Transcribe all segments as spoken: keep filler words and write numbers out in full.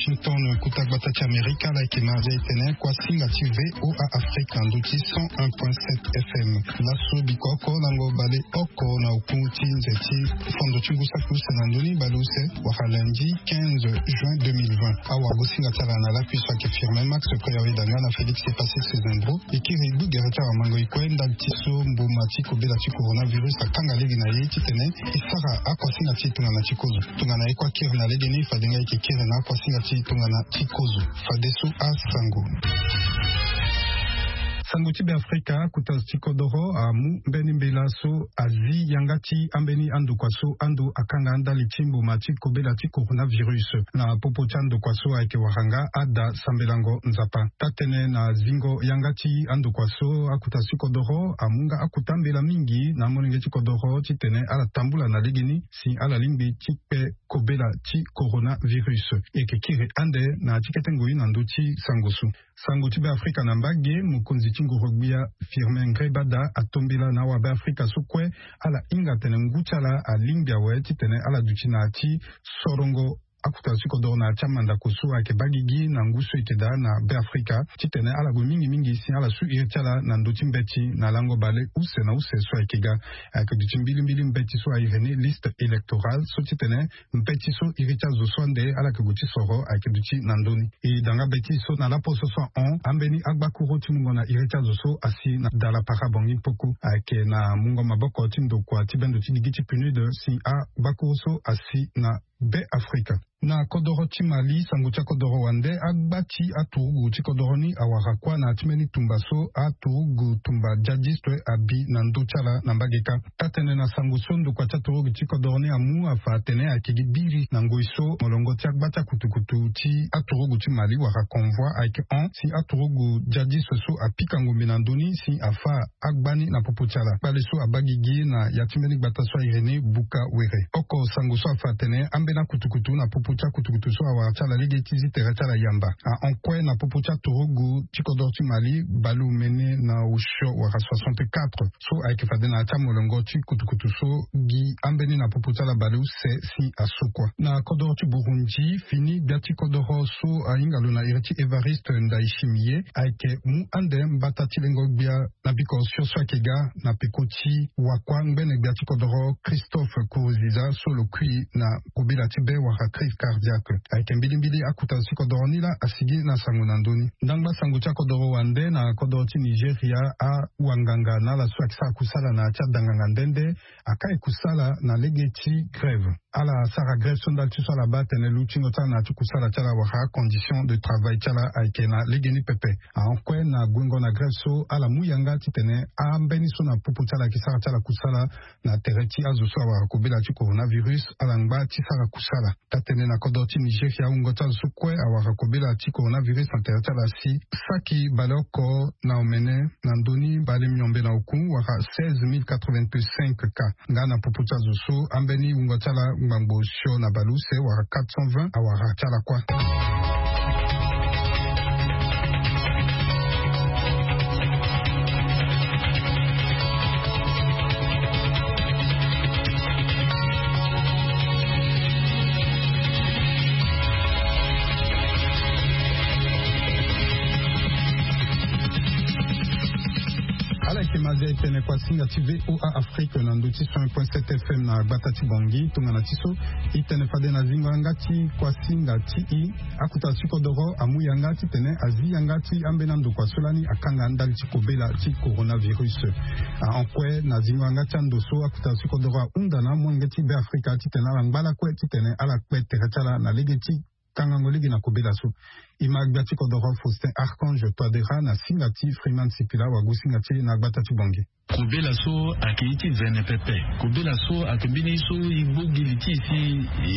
Washington, kota gbata ti Amerika, ala yeke ma aza etene kua singa ti V O A Afrique na ndo ti cent un point sept F M. Laso biko oko lango bale oko na oku ti nze ti fondo ti ngu saki use na ndoni bale use, wala lundi quinze juin deux mille vingt. Awagosinga ti ala na lakui so ayeke Firmin Max, Koya Wedanga na Félix Epassis Sezendro. E kiri e gbu gere ti awamango e kue ndali ti so mboma ti kobela ti coronavirus akanga lege na ye titene e sara akuasinga ti e tongana ti kozo. Tongana e kue akiri na legeni, fade nga e yeke kiri na akuasinga ti e tongana ti kozo. Fadeso asango. Sango ti Beafrika, akota zo ti kodoro amu mbeni mbela so azi yanga ti ambeni andokua so ando akanga ndali ti mboma ti kobela ti coronavirus. Na popo ti andokua so ayeke wara nga ada sambelango Nzapa. Taa-tënë na zingo yanga ti andokua so, akota zo ti kodoro amu nga akota mbela mingi na amolenge ti kodoro titene ala tambula na legeni si ala lingbi ti kpe kobela ti coronavirus. E yeke kiri ande na ya ti kete ngoi na ndö ti sango so. Sango ti Beafrika na mbage, mokonzi ti nguru-gbia Firmin Ngrébada atombela na awabeafrika so kue ala hinga atene ngu ti ala alingbi awe titene ala duti na ya ti sorongo akota zo ti kodoro na ya ti amandako so ayeke baa gigi na ngu so e yeke daa na Beafrika, titene ala gue mingi mingi si ala su iri ti ala na ndö ti mbeti na lango bale use na use so ayeke ga. Ayeke duti mbilimbili mbeti so a iri ni liste électorale so titene mbeti so iri ti azo so ande ala yeke gue ti soro ayeke duti na ndö ni. E da nga mbeti so na laposo so ahon ambeni agbakuru ti mungo na iri ti azo so asi na dala para Bangui Mpoko. Ayeke na mungo maboko ti ndokua ti bendo ti gigi ti PNUD si agbakuru so asi na Beafrika. Na kodoro ti Mali, sango ti akodoro wande, agba ti aturugu ti kodoro ni awara kuâ na ya ti mbeni tumba so aturugu tumba djadiste abi na ndö ti ala na mbage kâ. Taa-tënë na sango so ndokua ti aturugu ti kodoro ni amu afa atene ayeke gi biri na ngoi so molongo ti agba ti akutukutu ti aturugu ti Mali wala convoi ayeke hon si aturugu djadiste so apika ngombe na ndö ni si afâ agba ni na popo ti ala. Kpale so abaa gigi na ya ti mbeni gbata so a iri ni Buka Were. Oko sango so afa atene ambeni akutukutu na popo ti akutukutu so awara ti ala lege ti zi tere ti ala yamba. Ahon kue na popo ti aturugu ti kodoro ti Mali baleomene na osio wala soixante-quatre so ayeke fade na ya ti amolongo ti kutukutu so gi ambeni na popo ti ala baleuse si aso kua. Na kodoro ti Burundi, fini gbia ti kodoro so ahinga lo na iri ti Évariste Ndayishimiye ayeke mu ande mbata ti lengo gbia na biko osio so ayeke ga na peko ti wakua ngbene gbia ti kodoro Christophe Kuruziza so lo kui na kobela ti be wala crise cardiaque. Ayeke mbilimbili akota zo ti kodoro ni laa asigi na sango na ndö ni. Ndangba sango ti akodoro wande, na kodoro ti Nigeria, awanganga na ala so ayeke sara kusala na ya ti adanganga nde nde aka e kusala na lege ti grève. Ala sara grève so ndali ti so ala baa atene lutingo ti ala na ya ti kusala ti ala wala acondition de travail ti ala ayeke na legeni pepe. Ahon kue na guengo na grève so ala mu yanga titene ambeni so na popo ti ala ayeke sara ti ala kusala na tere ti azo so awara kobela ti coronavirus ala ngba ti sara kusala. Taa-tënë na kodro ti Nigeria, wungo ti azo so kue awara kobela ti coronavirus na tere ti ala si saki baleoko na omene na ndoni bale miombe na oku wala seize mille quatre-vingt-cinq cas. Nga na popo ti azo so ambeni wungo ti ala ngbangbo sio na baleuse wala quatre cent vingt awara ti ala kue. Ala yeke ma zia e tene kuasinga ti VOA Afrique na ndö ti cent un point sept FM na gbata ti Bangui. Tongana ti so e tene fade na zingo yanga ti kuasinga ti e, akuta ti kodoro amu yanga titene azi yanga ti ambeni andokua so lani akanga ndali ti kobela ti coronavirus. Ahon kue na zingo yanga ti ando so akuta ti kodoro ahunda na amolenge ti Beafrika titene ala ngba lakue titene ala kpe tere ti ala na lege ti kangango lege na kobela so. E ma gbia ti kodoro Faustin Archange Touadéra na singa ti Freeman Sipila, wagosinga ti e na gbata ti Bangui. Kobela so ayeke ye ti vene pepe. Kobela so ayeke mbeni ye so e gbo gi li ti e si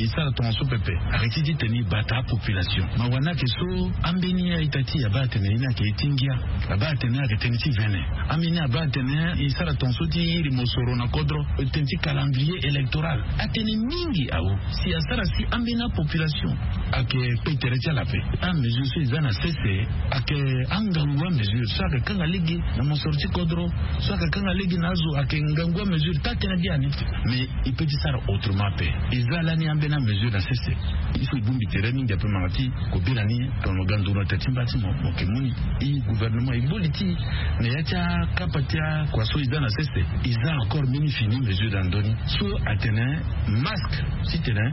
e sara tongaso pepe. Ayeke ti titene e bata apopulation. Mawa ni ayeke so ambeni a-ita ti e abaa atene ye ni ayeke ye ti ngia. Abaa atene ayeke tënë ti vene. Ambeni abaa atene e sara tongaso ti iri mosoro na kodro, tënë ti calendrier électoral. Atënë mingi awu si asara si ambeni apopulation ayeke kpe tere ti ala ape. Ame Mesure so eza na sese ake angangu amesure so ake kanga lege na mosoro ti kodro, so ake kanga lege na azo ake ngangu amesure ta tene biani. Mais il peut ti sara autrement ape. Eza lani ambeni amesure na sese. Il faut ibongbi tere mingi ape manga ti kobela ni. Tongana mo ga nduru na tete ti mba ti mo mo ke mu ni. E gouvernement eboli ti na ya ti akapa ti akua so eza na sese. Eza encore mbeni fini mesure na ndoni so atene masque titene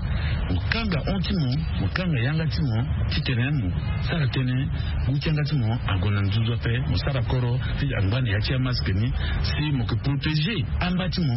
mo kanga hon ti mo, mo kanga yanga ti mo, titene mo sara tënë. Ngu ti yanga ti mo ague na nzunzu ape, mo sara koro ti angba na ya ti amasque ni. Si mo ke protéger amba ti mo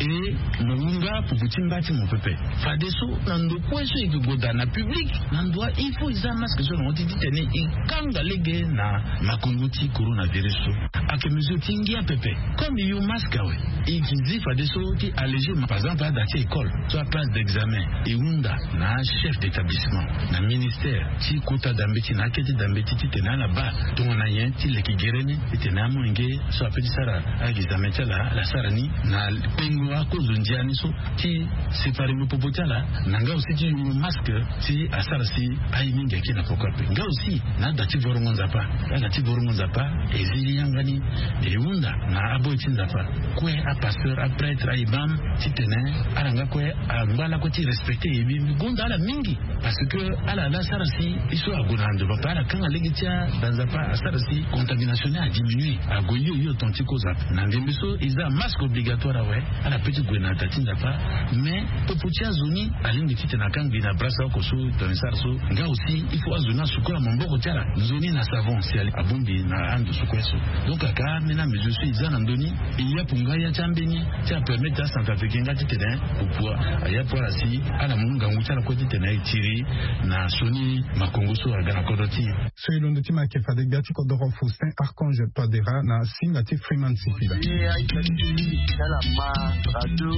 e mo hunga pupu ti mba ti mo pepe. Fadeso na ndo kue so e ke gue daa na public na ndo wa il faut e za masque so na hon ti titene e kanga lege na makongo ti coronavirus so. Ake mesure ti ngia pepe. Comme e yo masque awe, e ke zi fadeso ti alléger par exemple ada ti école so aplace d'examen e hunda na achef d'établissement, na ministère ti kota da mbeti na akete da mbeti titene ala baa tongana nyen ti leke gere ni titene amolenge so ape ti sara a examen ti ala ala sara ni na pengo akozo ndia ni so ti séparer ngo popo ti ala. Na nga aussi ti yongo masque si asara si aye mingi ake na poko ape. Nga aussi na ada ti vorongo nzapa, ada ti vorongo nzapa e zi ni yanga ni e hunda na aboy ti nzapa kue apasteur aprêtre aimam titene ala nga kue angba lakue ti respecter e mbi gonda ala mingi. Parce que ala la sara si e so ague na ndo papa ala kanga lege ti ada nzapa asara si contamination ni adiminuer ague hio hio ton ti koza. Na ndembe so e za masque obligatoire awe. Ala pe ti gue na da ti nzapa. Mais popo ti azo ni alingbi titene akangbi na brasa oko so tongana e sara so. Nga aussi il faut azo ni asukola maboko ti ala nzoni na savon si abongbi na ando so kue so. Donc aka ambeni amesure so e za na ndoni e yapu nga ya ti ambeni ti apermettre acentrafricain nga titene pupu ayapu ala si ala mu ngangu ti ala kue titene e tiri na sioni makongo so aga na kodro ti e. So e londo ti ma ayeke fade gbia ti kodoro Faustin Archange Touadéra na singa ti Freeman Sipila. Ye aita ti ti ala ma radio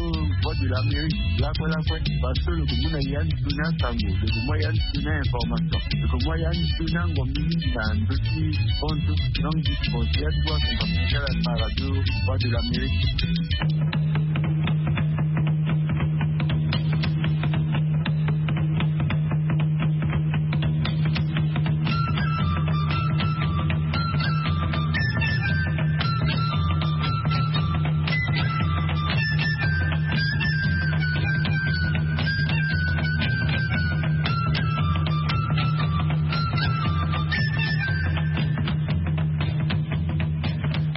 Voix de l'Amérique lakue lakue. Parce que lo ke mu na ya ni tuna sango, lo ke mu ya ni tuna information, lo ke mu ya ni tuna ngombi mingi na ndo ti sport. Donc discours ya ti wa ti ala ma radio Voix de l'Amérique.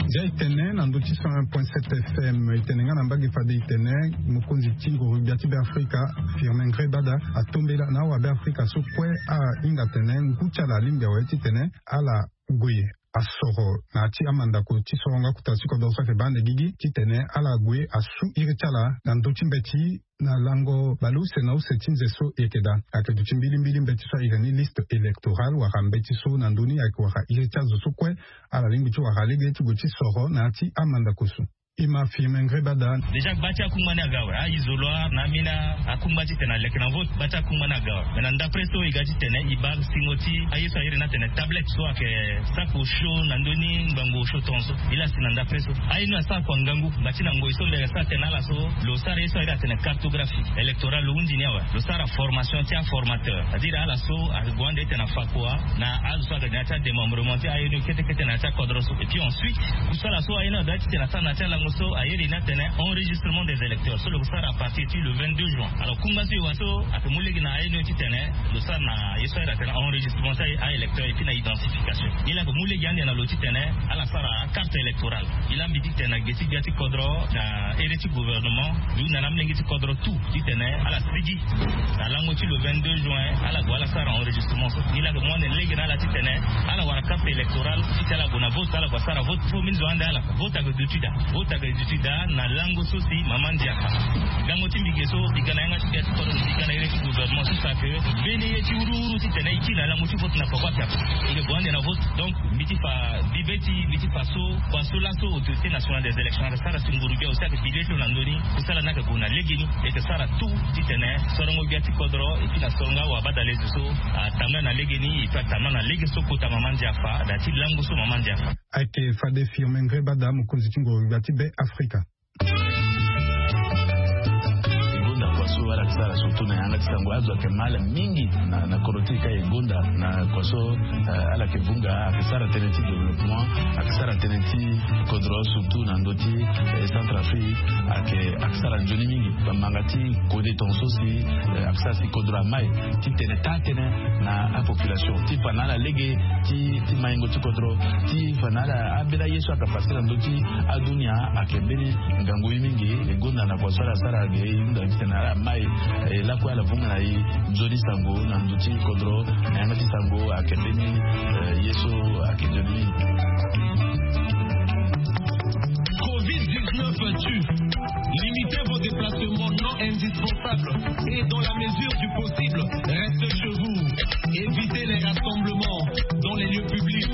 Ndia e tene na ndo ti cent un point sept F M e tene nga na mbage fade e tene mokonzi ti nguru gbia ti Beafrika Firmin Ngrébada atombela na awabeafrika so kue ahinga tene ngu ti ala alingbi awe titene ala gue asoro na ya ti amandako ti sorongo akuta ti kodro so ayeke baa ande gigi titene ala gue asu iri ti ala na ndö ti mbeti na lango baleuse na use ti nze so e yeke daa. Ayeke duti mbilimbili mbeti so ayeke ni liste électorale wala mbeti so na ndö ni ayeke wara iri ti azo so kue ala lingbi ti wara lege ti gue ti soro na ya ti amandako so. E ma Firmin Ngrébada. Déjà gba ti akungba ni aga awe, a-isoloir na ambeni akungba titene aleke na vote, gba ti akungba ni aga awe. Mais na ndapre so e ga titene e baa singo ti aye so a iri ni atene tablette so ayeke saki osio na ndö ni ngbangbo osio tongaso. E laa si na ndapre so aye ni asara kua ngangu ngba ti na ngoi so mbere asara tene na ala so lo sara ye so a iri atene cartographie électorale lo hundi ni awe. Lo sara formation ti aformateur, c'est-à-dire ala so ayeke gue ande titene afa kua na azo so ayeke na ya ti adémembrement ti aye ni kete kete na ya ti akodro so. Et puis ensuite kusala so aye ni adoit titene asara na ya ti alango so a iri ni atene enregistrement des électeurs so lo sara à partir ti le vingt-deux juin. Alors kungba so e wara so ayeke mu lege na aye ni titene lo sara na ye so a iri atene enregistrement ti aye électeur et puis na identification. Ye laa ayeke mu lege ande na lo titene ala sara carte électorale. E laa mbi titene na ge ti gbia ti kodro na ere ti gouvernement, mbi hunda na amolenge ti kodro tout titene ala sigi na lango ti le vingt-deux juin ala gue ala sara enregistrement so. Ni laa ayeke mu ande lege na ala titene ala wara carte électorale ti ala gue na vote, ala gue asara vote. Fo mbi zo ande ala vote ayeke duti daa, vote ayeke duti daa na lango so si mama ndia afa. Lango ti mbi ge so mbi ga na yanga ti gbia ti kodro, mbi ga na ere ti gouvernement so si ayeke mbeni ye ti wuruwuru titene e kiri na lango ti vote na poko ape ape. E yeke gue ande na vote. Donc mbi ti fa bibe ti mbi ti fa so kua so laso autorité nationale des élections ayeke sara si nguru gbia aussi ayeke pilier ti lo na ndö ni. Kusala ni ayeke gue na legeni. E yeke sara tout titene sorongo gbia ti kodro et puis na sorongo awabadalezo so atambula na legeni et puis atambula na lege so kota mama ndia afa daa ti lango so mama ndia afa. Ayeke fade Firmin Ngrébada mokonzi ti nguru gbia ti Beafrika. So ala yeke sara surtout na yanga ti sango azo ayeke mal mingi na kodro ti e ka e gonda na kua so. Ala yeke vunga ayeke sara tënë ti développement, ayeke sara tënë ti kodro surtout na ndö ti Centrafrique. Ayeke sara nzoni mingi bamanga ti kode tonga so si ayeke sara si kodro amai ti tene taa tënë na apopulation ti fa na ala lege ti maingo ti kodro ti fa na ala ambeni aye so ayeke pase na ndö ti adunia. Ayeke mbeni ngangu ye mingi e gonda na kua so ala sara ge e hunda titene ala mai lakue ala vunga na e nzoni sango na ndö ti kodro na yanga ti sango ayeke mbeni ye so ayeke nzoni mingi. Covid dix-neuf tue. Limitez vos déplacements non indispensables et dans la mesure du possible, restez chez vous. Évitez les rassemblements dans les lieux publics.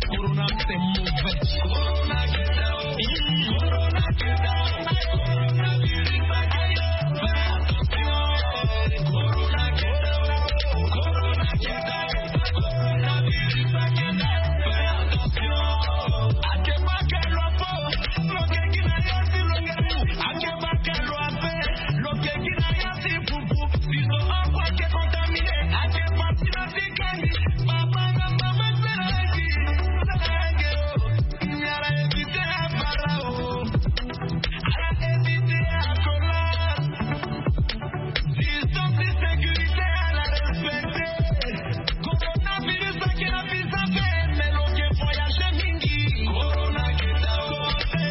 Corona, c'est mauvais. Corona, get down. Corona, get down. Coronavirus, fais attention. Corona, get down. Corona, get down. Distance et sécurité à la respecter. Coronavirus ake na biso ape, mais lo ke voyager mingi. Corona ke dao,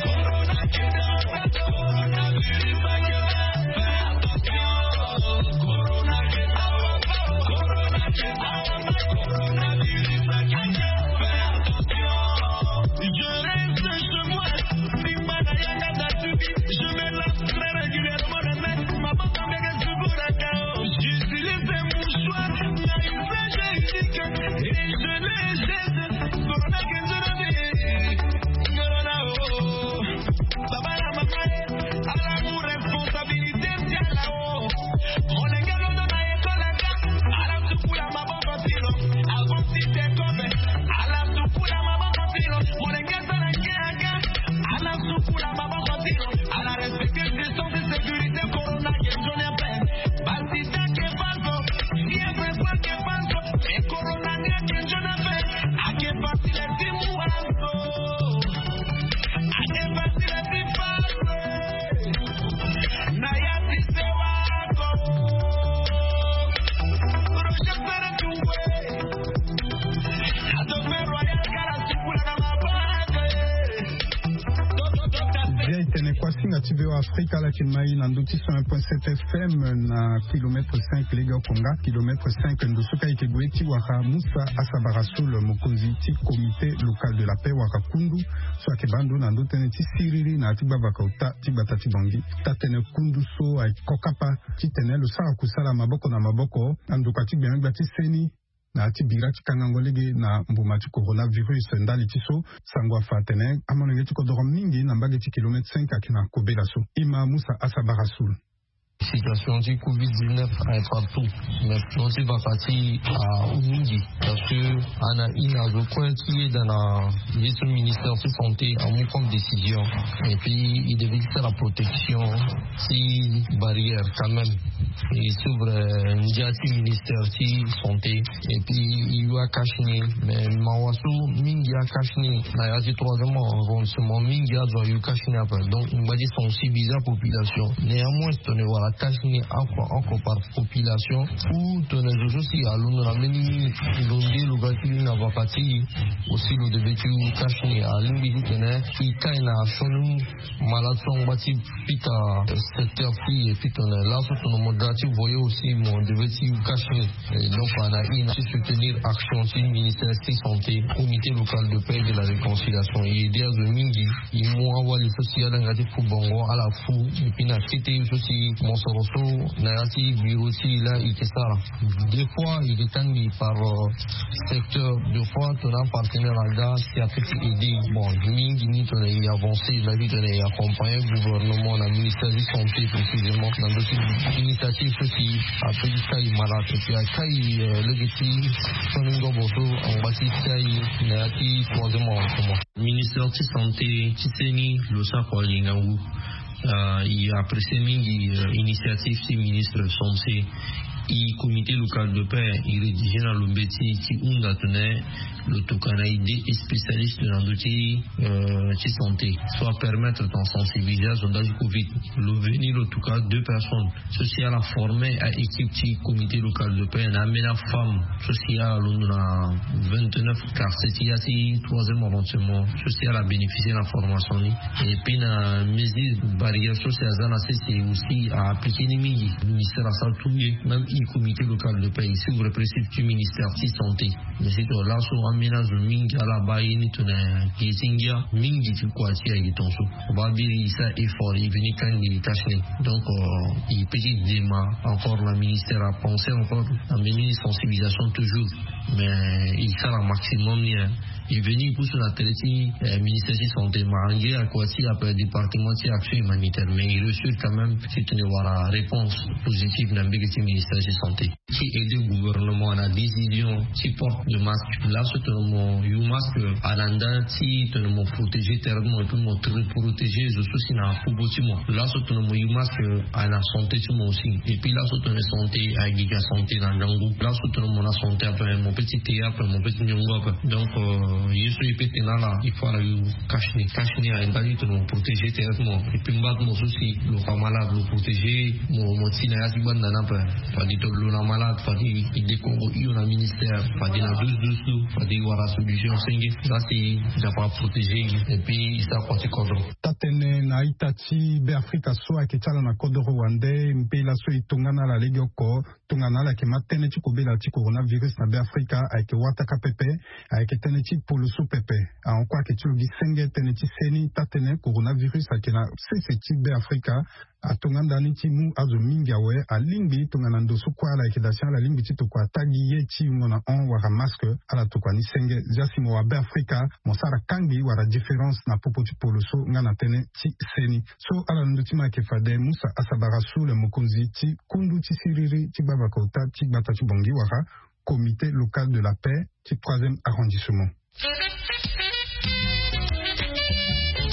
corona ke dao, coronavirus ake na, fais attention. Corona ke dao, corona ke dao, coronavirus ake, fais attention. Je reste chez moi. Simba na yanga datubi, je me lave très régulièrement les mains. Maboko mbeke sukolaka. J'utilise un mouchoir na usage unique et je le jette. Corona ke nzona me. Corona, oh. Baba na mama e, ala mu responsabilité ti ala, oh. Molenge londo na école aka, ala sukula maboko ti lo. Avant ti te kobe, ala sukula maboko ti lo. Molenge asara nge aka, ala sukula maboko ti lo. Ala respecter distance de sécurité, corona ke nzoni ape. Basida ke baa zo, fièvre folle ke baa zo, e corona ni ake nzoni ape. Ake facile ti mu azo. Ake facile ti baa zo. Na ya ti sewa ko. Roger Sere Tuwe. Bia e tene kua singa ti V O A Afrika ala yeke mai na ndö ti cent un point sept F M na kilomètre cinq lege oko nga kilomètre cinq ndo so ka e yeke gue ti wara Musa Asabara Soul, mokonzi ti comité local de la paix wala kundu so ayeke baa ndo na ndö tënë ti siriri na ya ti gbavaka ota ti gbata ti Bangui. Taa-tënë kundu so ayeke kokapa titene lo sara kusala maboko na maboko na ndokua ti gbengbe gbia ti seni na ya ti bira ti kangango lege na mbuma ti coronavirus. Ndali ti so, sango afa atene amolenge ti kodoro mingi na mbage ti kilomètre cinq ayeke na kobela so. E ma Musa Asabara Soul. Situation ti covid dix-neuf aye partout, mais situation ti vaka ti ahon mingi parce que ana ina zo kue ti yeda na ye so ministère ti santé amu comme décision. Et puis il devait faire la protection ti barrière quand même. Il s'ouvre ndia ti ministère ti santé. Et puis il y a cache ni, mais mawa so mingi a cache ni na ya ti troisième arrondissement mingi azo ayu cache ni ape. Donc ngba ti sensibiliser la population, néanmoins tene wala cache ni oko oko par population. Ou tene zo so si alondo na mbeni lo nde lo ga ti na vaka ti aussi lo devait ti cache ni alingbi titene e kai na sioni malade so angba ti pika secteur ti e. Puis tene laso tene mo da ti voyer aussi mo devait ti cache ni. Et donc ana ina ti soutenir action ti ministère ti santé, comité local de paix et de la réconciliation. E aider azo mingi. E mu awali so si ala nga ti fu bongo ala fu. Et puis na kete so si mosoro so na ya ti bureau ti e la e ke sara. Des fois e ke tangbi par secteur, des fois tongana apartenaire aga si ape ti aider. Bon mingi ni tongana e avancer na vie tongana e accompagner gouvernement na ministère ti santé précisément na ndö ti initiative so si ape ti kai malade et puis akai lege ti sioni ngobo so angba ti kai na ya ti troisième arrondissement. Ministère ti santé ti seni lo sara kua gi ngangu. I apprécie mingi initiative ti ministre Sampse. I comité local de paix i rédigé na lo mbeti ti hunda tene lo tokana i deux spécialiste na ndö ti ti santé, so apermettre ton sensibilisation ndali covid. Lo veni lo toka deux personnes so si ala forme a équipe ti comité local de paix na ambeni afemme so si ala londo na vingt-neuf quartier ti ya ti troisième arrondissement so si ala bénéficier na formation ni. Et puis na mesure barrière so si aza na sese aussi a appliquer ni mingi. Ministère asara tout ye même i comité local de paix i suivre principe ti ministère ti santé. Mais si to laso ambeni azo mingi ala baa ye ni tongana gi ti ngia mingi ti kua ti aye tongaso. Baa biri i sara effort i veni kangbi i tâche ni. Donc i petit dema encore na ministère apenser encore na mbeni sensibilisation toujours. Mais i sara maximum ni. I veni i pusu na tere ti ministère ti santé ma ange akua ti ape département ti action humanitaire mais i réussir quand même ti tene wara réponse positive na mbege ti ministère ti santé ti aider gouvernement na décision ti porte de masque. Laso tene mo yu masque ala nda ti tene mo protéger tere ti mo et puis mo tene protéger zo so si na popo ti mo. Laso tene mo yu masque ala santé ti mo aussi. Et puis laso tene santé agi ga santé na ngangu. Laso tene mo na santé ape mo pe ti te ape mo pe ti niongo ape. Donc ye so i pe tene ala il faut ala yu cache ni cache ni aye ndali tene mo protéger tere ti mo. Et puis mba ti mo so si lo fa malade lo protéger mo mo ti na ya ti gbanda ni ape. Fadi to lo na malade fadi i dekongo hio na ministère fadi na douze douze lo fadi i wara solution senge. Za si i za fa protéger i et puis i sara kua ti kodro. Taa-tënë na a-ita ti Beafrika so ayeke ti ala na kodoro wande mpe laso e tongana ala legeoko tongana ala yeke ma tënë ti kobela ti coronavirus na Beafrika ayeke wataka pepe. Ayeke tënë ti polo so pepe. Ahon kue ayeke ti lo gi senge tënë ti se ni taa-tënë coronavirus ayeke na sese ti Beafrika. Atonga ndani ti mu azo mingi awe alingbi tongana ndo so kue ala yeke daa si ala lingbi ti tokua ata gi ye ti yungo na hon wala masque. Ala tokua ni senge zia si mo wa Beafrika mo sara kangbi wala différence na popo ti polo so nga na tënë ti se ni. So ala londo ti mo ayeke fade musa asabara su le mokonzi ti kundu ti siriri ti gbavaka ota ti gbata ti bongi wala comité local de la paix ti troisième arrondissement.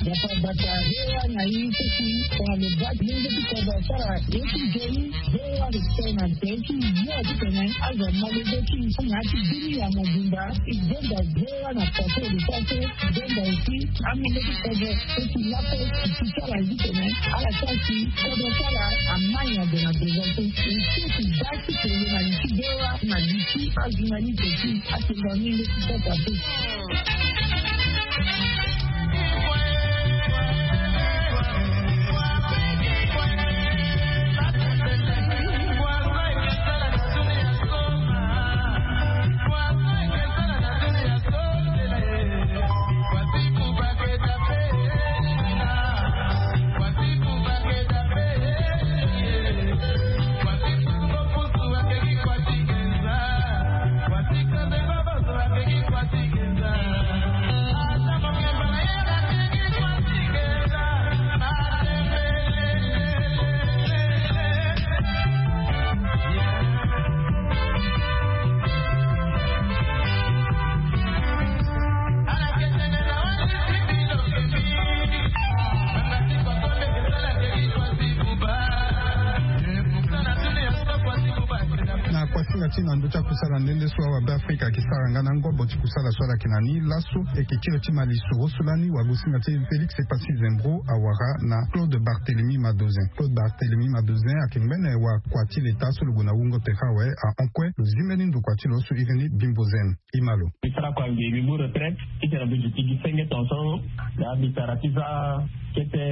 Bata bata hewa na ye sisi tongana lo baa ti lenge ti kodro asara ye ti nzoni. Hewa respect na nzoni ti yo ti tene azo malege ti na ya ti bini ya mobimba. I zonza hewa na passe de passe. I zonza aussi amolenge ti kodro so ti lape ti ti sara ye ti tene ala sara si kodro ti ala amai na ndo na devant so. I si ti baa ti tene na li ti hewa na li ti ajournaliste ti atenga mingi ti sasa pe. Na kuasinga ti na ndö ti akusala nde nde so awa Beafrika ayeke sara nga na ngobo ti kusala so ala yeke na ni laso. Eke kiri ti malisoro so lani wagosinga ti Félix Epassi Zembro awara na Claude Barthélemy Madozin. Claude Barthélemy Madozin ayeke ngbene wa kua ti leta so lo gue na wungo tere awe ahon kue lo zi mbeni ndokua ti lo so iri ni Bimbo Zen. Imalo. Mbi sara kua nge mbi mu retraite ti tene mbi duti gi senge tongaso. Nga mbi sara ti za kete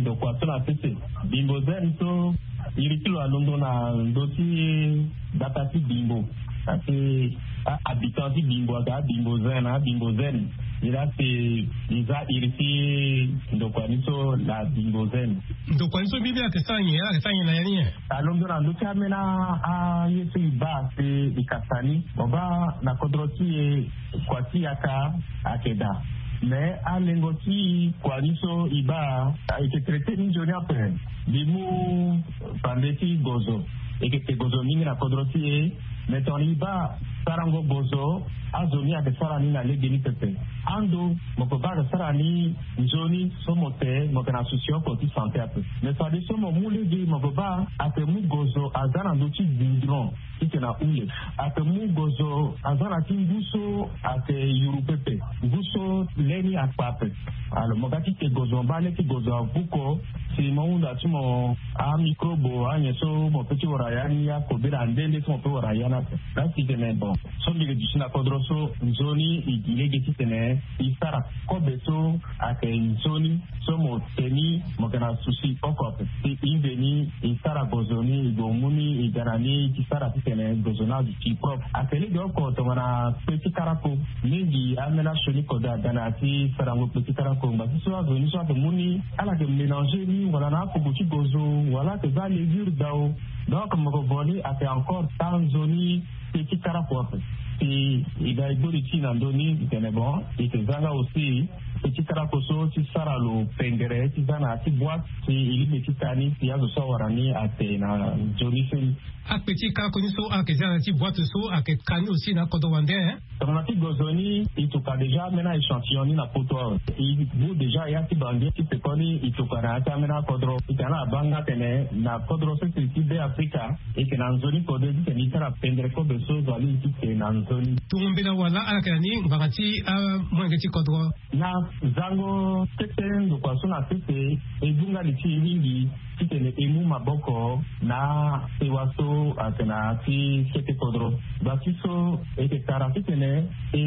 ndokua so na sese. Bimbo Zen so iri ti lo alondo na ndö ti gbata ti Bimbo. Asi ahabitant ti Bimbo aga Bimbo Zen na Bimbo Zen. Iri asi nza iri ti ndokua ni so na Bimbo Zen. Ndokua ni so bibi ayeke sara nyen? Ayeke sara nyen na ya ni nyen? Alondo na ndö ti ambeni aye so e baa si e kasa ni. Mo baa na kodro ti e kua ti yaka ayeke daa. Me alengo ti kua ni so e baa ayeke traité ni nzoni ape. Mbi mu pande ti gozo. E yeke te gozo mingi na kodro ti e. Mais tongana e baa sarango gozo, azo ni ayeke sara ni na legeni pepe. Ando mo ke baa ayeke sara ni nzoni so mo te mo yeke na souci oko ti sante ape. Mais fadeso mo mu lege mo ke baa ayeke mu gozo aza na ndö ti goudron ti tene ahule. Ayeke mu gozo aza na ti ngu so ayeke yuru pepe, ngu so le ni akpa ape. Alors mo ga ti te gozo mo baa le ti gozo avuko, si mo hunda ti mo amicrobe anyen so mo pe ti wara ya ni akobela nde nde so mo pe wara ya ni ape. Laa si tene bon, so mbi ke duti na kodro so nzoni e gi lege ti tene e sara kobe so ayeke nzoni so mo te ni mo yeke na souci oko ape. Si e nze ni e sara gozo ni e gue mu ni e ga na ni ti sara ti tene gozo ni aduti propre. Ayeke lege oko tongana pe ti karako. Mingi ambeni asioni kode aga na ya ti sarango pe ti karako ngba ti so azo ni so ayeke mu ni ala yeke mélanger ni wala na akuku ti gozo wala ayeke za levure dao. Donc mo yeke vo ni ayeke encore taa nzoni pe ti karako ape. Si e ga e gbori ti e na ndö ni e tene bon e yeke za nga aussi pe ti karako so ti sara lo pengere ti za na ya ti boite si e lingbi ti ka ni si azo so awara ni ate na nzoni so ni. Akpe ti karako ni so ayeke za na ya ti boite so ayeke ka ni aussi na akodro wande, hein? Tongana ti gozo ni e tuka déjà ambeni a-échantillon ni na poto awe. E bu déjà ya ti bangi ti peko ni e tuka na ya ti ambeni akodro. E tene ala baa nga tene na kodro sese ti Be Afrika e yeke na nzoni kode ti tene e sara pendre kobe so zo alingbi ti te na nzoni. Tongo mbela wala ala yeke na ni ngbanga ti amolenge ti kodro? Na zango kete ndokua so na sese e bu nga li ti e mingi ti tene e mu maboko na sewa so ayeke na ya ti kete kodro. Ngba ti so e yeke tara ti tene e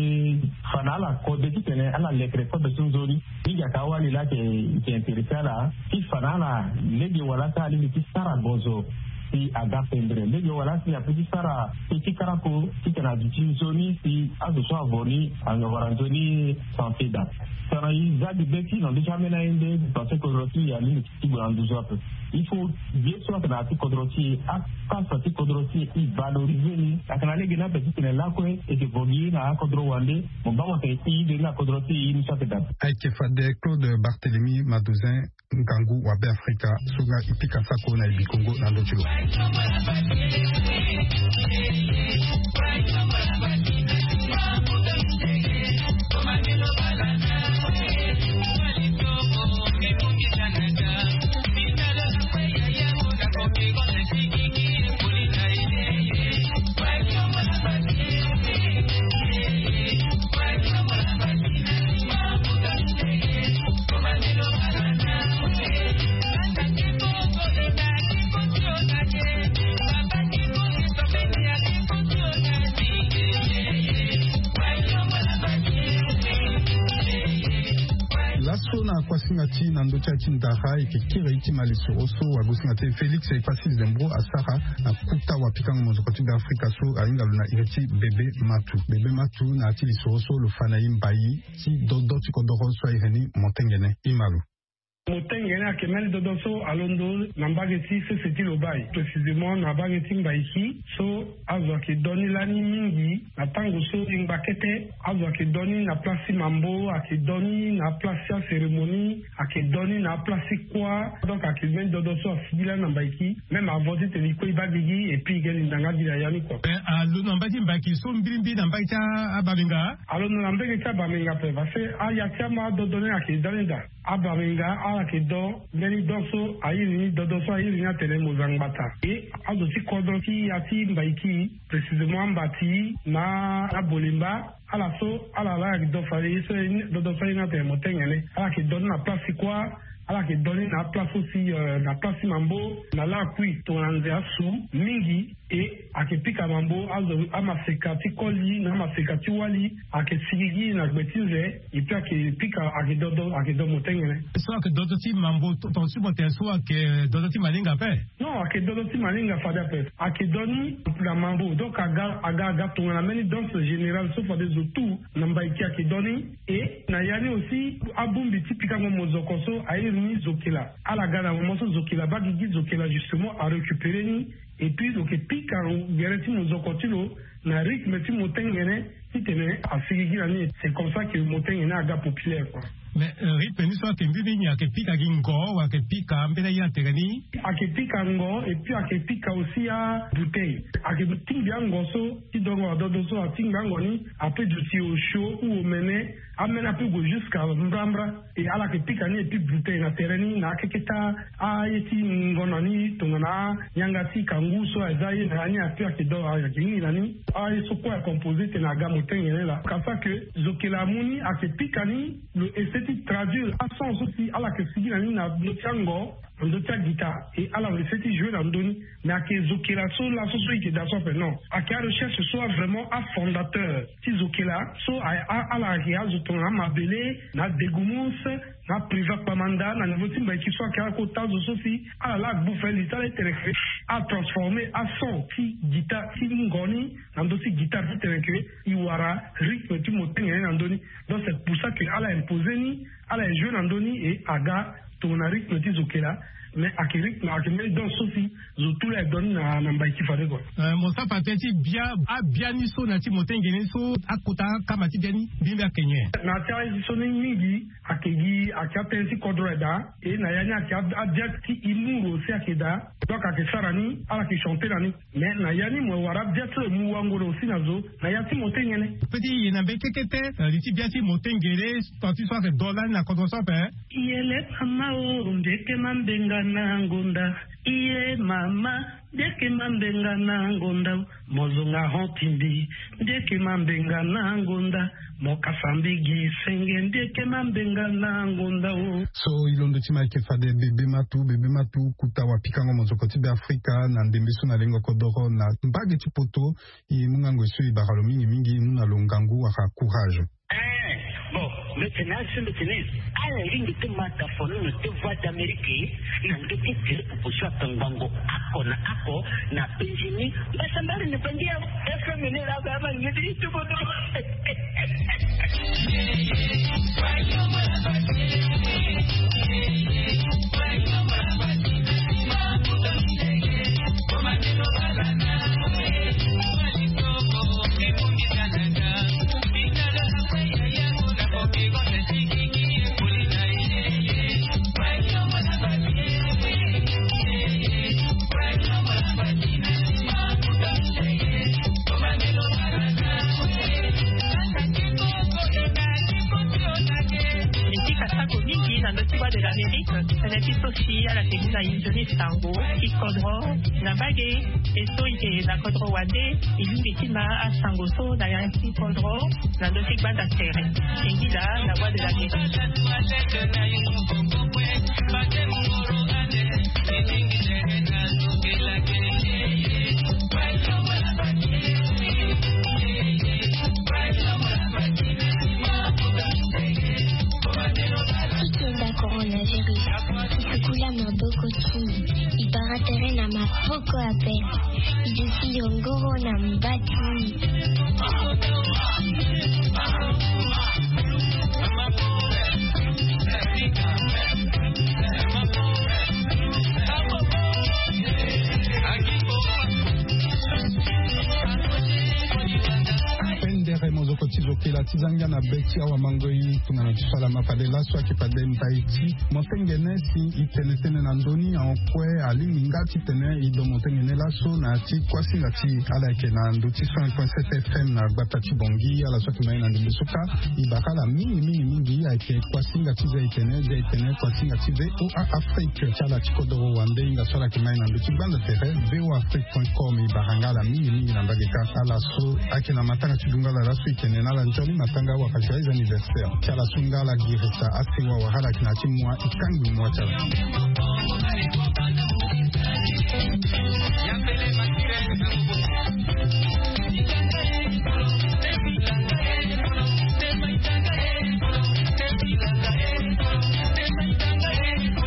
fa na ala kode ti tene ala lekere kobe so nzoni. Mingi ayeke awali laa ayeke intéressé ala ti fa na ala lege wala si alingbi ti sara gozo si aga pendre lege wala si ape ti sara pe ti karako ti tene aduti nzoni si azo so avo ni awara nzoni santé daa. Tongana e za gi be ti e na ndö ti ambeni aye nde parce que kodro ti e alingbi ti gue na nduzu ape. Il faut ye so ayeke na ya ti kodro ti e, apasa ti kodro ti e, e valoriser ni. Ayeke na lege ni ape ti tene lakue e yeke vo gi na akodro wande. Mo baa mo tene e de ni na kodro ti e, e ni so ayeke daa. Ayeke fade Claude Barthélemy Madouzen, ngangu wa Be Afrika so nga e pika sako na e bi Kongo na ndö ti lo. Laso na kuasinga ti na ndö ti aye ti ndara e yeke kiri ti ma lisoro so wagosinga ti e Félix Epassi Zembro asara na kuta wa pikango mozoko ti Be Afrika so ahinga lo na iri ti Bébé Matou. Bébé Matou, na ya ti lisoro so lo fa na e mbai ti dodo ti kodoro so a iri ni motengene. E ma lo. Motengene ayeke mbeni dodo so alondo na mbage ti sese ti Lobaye, précisément na mbage ti Mbaiki so azo ayeke do ni lani mingi. Na tango so e ngba kete azo ayeke do ni na place ti mambo, ayeke do ni na place ti acérémonie, ayeke do ni na place ti kuâ. Donc ayeke mbeni dodo so asigi lani na Mbaiki. Même avant ti tene e kue e baa gigi et puis e ge linda nga gi na ya ni kua. Eh, alondo na mbage ti Mbaiki so mbirimbiri na mbage ti a- Abamenga? Alondo na mbage ti Abamenga ape parce que aya ti ama adodo ni ayeke da ni daa. Abamenga ala yeke do mbeni do so a iri ni dodo so a iri ni atene Mozangbata. E azo ti kodro ti ya ti Mbaiki, précisément Ambati na Abolemba, ala so ala laa ayeke do fade ye so dodo so a iri ni atene motengene. Ala yeke do ni na place ti kuâ, ala yeke do ni na aplace aussi, euh, na place ti mambo na lakui tongana nze asu mingi. E ayeke pika mambo azo amaseka ti koli na amaseka ti wali, ayeke sigigi na gbe ti nze. Et puis ayeke pika, ayeke dodo, ayeke do motengene. So ayeke dodo ti mambo to- tonga ti mo tene so ayeke dodo ti malinga ape? Non, ayeke dodo ti malinga fade ape. Ayeke do ni na mambo, donc aga aga aga tongana mbeni danse générale so fade zo tout na Mbaiki ayeke do ni. E na ya ni aussi abongbi ti pikango mozoko so a iri ni zokila. Ala ga na moment so zokila baa gigi, zokila justement arécupéré ni. Et puis lo yeke pika gere ti mozoko ti lo na rythme ti motengene ti tene asigigi na ni. C'est comme ça que motengene aga populaire kua. Mais rythme ni so ayeke mbi nini? Ayeke pika gi ngo wala ayeke pika mbeni aye na tere ni? Ayeke pika ngo et puis ayeke pika aussi abouteille. Ayeke tingbi ango so ti dongo adodo so atingbi ango ni ape duti osio ou omene. Amene ape gue jusqu'à mbrambra. E ala yeke pika ni et puis bouteille na tere ni na akeketa aye ti ngonda ni tongana anyanga ti kangu so aza ye na ya ni ape ayeke do ayeke hingi na ni. Aye so kue acompose tene aga motengene laa kasa ke zokela amu ni ayeke pika ni. Lo essaie ti traduire ason so si ala yeke sigi na ni na ndö ti ango na ndö ti aguitare. E ala lo essaie ti jouer na ndö ni. Mais ayeke zokela so laso so e yeke daa so ape non, ayeke arecherche so avraimment afondateur ti zokela so ala ayeke azo tongana amabele na adegumus na apriva kpamanda na niveau ti mbaiki so ayeke akota zo so si ala laa agbu fali ti ala ti tene ke atransforme ason ti guitare ti ngo ni na ndö ti guitare ti tene ke e wara rythme ti motengene na ndö ni. Donc c'est pour ça que ala impose ni, ala e jouer na ndö ni e aga tongana rythme ti zokela. Mais ayeke rythme ayeke mbeni danse so si zo tu laa e donne na mbai ti fade kua. Mo sara fa tënë ti bia abia ni so na ya ti motengene ni so akota akama ti bia ni mbi mbi ayeke nyen? Na ya ti aye ti so ni mingi ayeke gi ayeke atënë ti kodro aye daa. E na ya ni ayeke abia ti imuru aussi ayeke daa. Donc ayeke sara ni ala yeke chanter na ni. Mais na ya ni mo wara bia ti lo e mu wango na aussi na zo na ya ti motengene. Pe ti ye na mbeni kekete li ti bia ti motengene. Tant ti so ayeke do lani na kodro so ape. Iye le mama o mbi yeke mambenga na ngonda. Iye mama mbi yeke mambenga na ngonda. Mo zonga hon ti mbi mbi yeke mambenga na ngonda. Mo kasa mbi gi senge mbi yeke mambenga na ngonda o. So e londo ti ma yeke fade bebe matu bebe matu kuta wapikango mozoko ti be afrika na ndembe so na lengo kodoro na mbage ti poto. E mu ngango e so e bara lo mingi mingi e mu na lo ngangu wala courage. Bon, mbi tene asi mbi tene ala ringi ti mata fono na te voix d'amérique na ndö ti groupe popo so atangbango ako na ako na penzi ni. Mbasa mbali na bangi ya fm ni la ba ma ngedi ti bodo. Mbi ti kasako mingi na ndö ti voix de l'amérique. Tënë ti so si ala yeke mu na inzo ni sango ti kodro na mbage. E so e yeke na kodro wande e lingbi ti ma asango so na ya ti kodro na ndö ti gbanda tere. Singila na voix de l'amérique. Ti kenda coronavirus ti tukula maboko ti e bara tere na maboko ape. E duti yongoro na mba ti e. Pendere mozoko ti zokela ti zangia na be ti awa mango i tongana ti so ala ma fade laso ayeke fade ndai ti mosengene si e tene tënë na ndö ni ahon kue alingbi nga ti tene e do mosengene laso na ya ti kuasinga ti ala yeke na ndö ti cent point sept fm na gbata ti bongi ala so ayeke ma ye na ndembe so kâ. E bara ala mingi mingi mingi ayeke kuasinga ti za e tene za e tene kuasinga ti voa afrique ti ala ti kodoro wande hinga so ala yeke ma ye na ndö ti gbanda tere voa afrique point com. E bara nga ala mingi mingi na mbage kâ ala so ayeke na matanga ti dungala laso e tene na ala nzoni matanga wala joyeux anniversaire ti ala so nga ala girisa asewa wala ala yeke na ya ti mua e kangbi mua ti ala.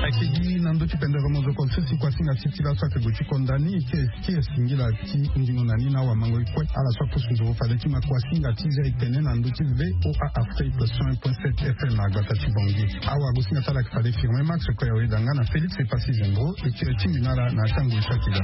Ayeke gi na ndö ti pendere mozoko so si kuasinga ti ti laso ayeke gue ti konda ni ti e singila ti ndingo na ni na awamango e kue ala so apusu nzoro fade ti ma kuasinga ti za e tene na ndö ti voa afrique cent point sept fm na gbata ti bongi. Awagosinga ti ala ayeke fade firme max kue awe danga na félix epasi zembro. E ti e tingbi na ala na atango e so ayeke ga.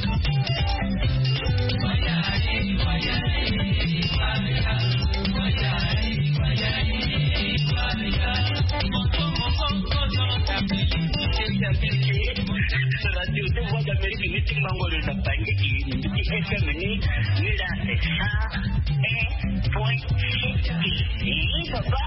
Ti mango lo na pande ti F M ni, ni la sa. Point. Ni papa.